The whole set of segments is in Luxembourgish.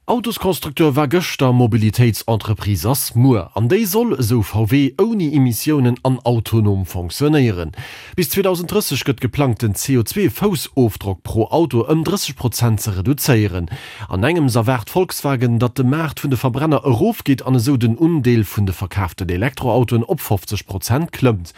Autosconstructeur war gëschter, Mobilitéitsentreprise ass muer. An déi soll, esou VW, ouni Emissiounen an autonom fonctionnéieren. Bis 2030 gëtt geplangt, den CO2-Foussofdrock pro Auto ëm 30 Prozent ze reduzéieren. An engems erwaart Volkswagen, datt de Maart vun de Verbrenner erofgeet an esou den Undeel vun de verkaaften Elektroautoen op 50 Prozent klëmmt.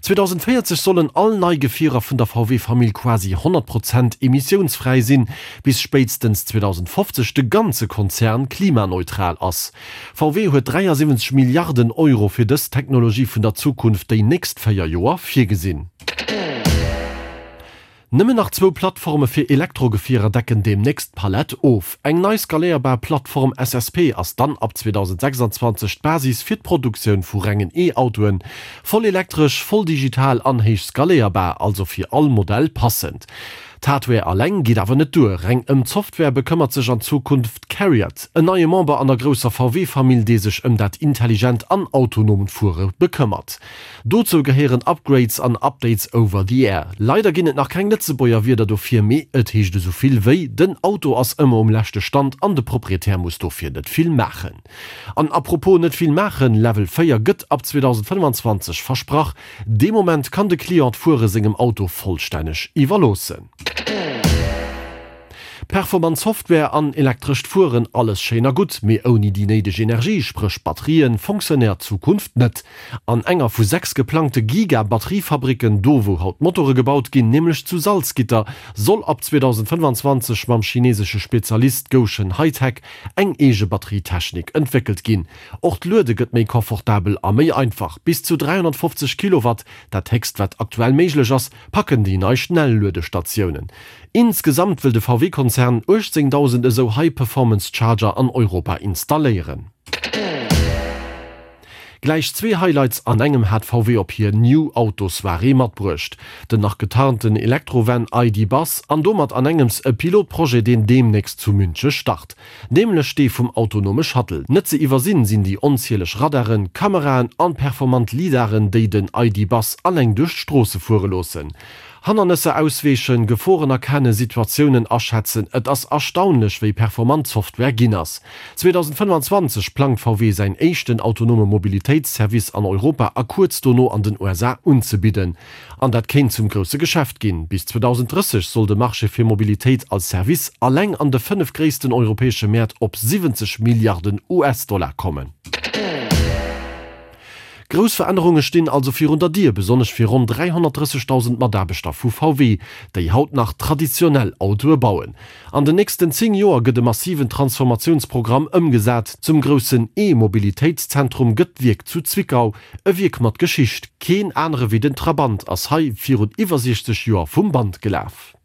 2040 sollen all nei Gefierer vun der VW-Famill quasi 100 Prozent emissiounsfräi sinn, bis spéitstens 2050 de ganze Konzern klimaneutral ass. VW huet 73 Milliarden Euro fir dës Technologie vun der Zukunft déi nächst 4 Joer virgesinn. Nëmmen nach zwou Plattforme fir Elektrogefierer decken deemnächst d'Palett of. Eng nei skaléierbar Plattform SSP ass dann ab 2026 d'Basis fir d'Produktioun vu rengen E-Autoen. Voll elektresch, voll digital an héich skaléierbar, also fir all Modell passend. D'Hardware alleng geet awer net duer. Reng ëm d'Software bekëmmert sech an Zukunft Cariad, en neie Member an der grousser VW-Famill, dee sech ëm dat intelligent an autonomt Fuere bekëmmert. Dozou gehéieren Upgrades an Updates over the air. Leider ginn et nach keng Lëtzebuerger Wierder dofir, mee et heescht esou vill wéi, den Auto ass ëmmer um leschte Stand an de Proprietär muss dofir net vill maachen. An apropos net vill maachen, Level 4 gëtt ab 2025 versprach. Dee Moment kann de Client d'Fuere sengem Auto vollstänneg iwwerloossen. Performant Software an elektrescht Fueren, alles schéin a gutt, mee ouni déi néideg Energie, spréch Batterien, fonctionnéiert d'Zukunft net. An enger vu 6 geplangte Giga-Batteriefabricken, do wou haut Motore gebaut ginn, nämlech zu Salzgitter, soll ab 2025 mam chinesesche Spezialist Gotion High-Tech eng eege Batterietechnik entwéckelt ginn. Och d'Luede gëtt méi confortabel a méi einfach, bis zu 350 Kilowatt, dat héchst wat aktuell méiglech ass, packen déi nei Schnelluedestatiounen. Insgesamt wëll de VW-Konzern 18.000 esou High-Performance Charger an Europa installéieren. Gläich zwee Highlights an engem hat VW op hir New Auto Soirée matbruecht, den nach getarnten Elektro-Van ID. Buzz an domat an engems e Pilotprojet deen deemnächst zu Münche start, nämlech dee vum autonome Shuttle. Net ze iwwersinn sinn déi onzieleg Radaren, Kameraen an performant Lidaren déi den ID. Buzz alleng duerch d'Stroosse fuere loossen. Hannernësser ausweechen, Geforen erkennen, Situatiounen aschätzen, et ass erstaunlech wéi performant d'Software ginn ass. 2025 plangt VW säin éischten autonome Mobilitéitsservice an Europa a kuerz dono an den USA unzebidden. An dat kéint zum grousse Geschäft ginn. Bis 2030 soll de Marché fir Mobilitéit als Service alleng an de 5 gréissten europäesche Mäert op 70 Milliarden US-Dollar kommen. Grouss Verännerunge stinn also virun der Dier, besonnesch fir ronn 330.000 Mataarbechter vu VW, déi haut nach traditionell Autoe bauen. An den nächsten 10 Joer gëtt e massiven Transformatiounsprogramm ëmgesat. Zum groussen E-Mobilitéitszentrum gëtt d'Wierk zu Zwickau, e Wierk mat Geschicht. Keen anere wéi den Trabant ass hei virun iwwer 60 Joer vum Band gelaf.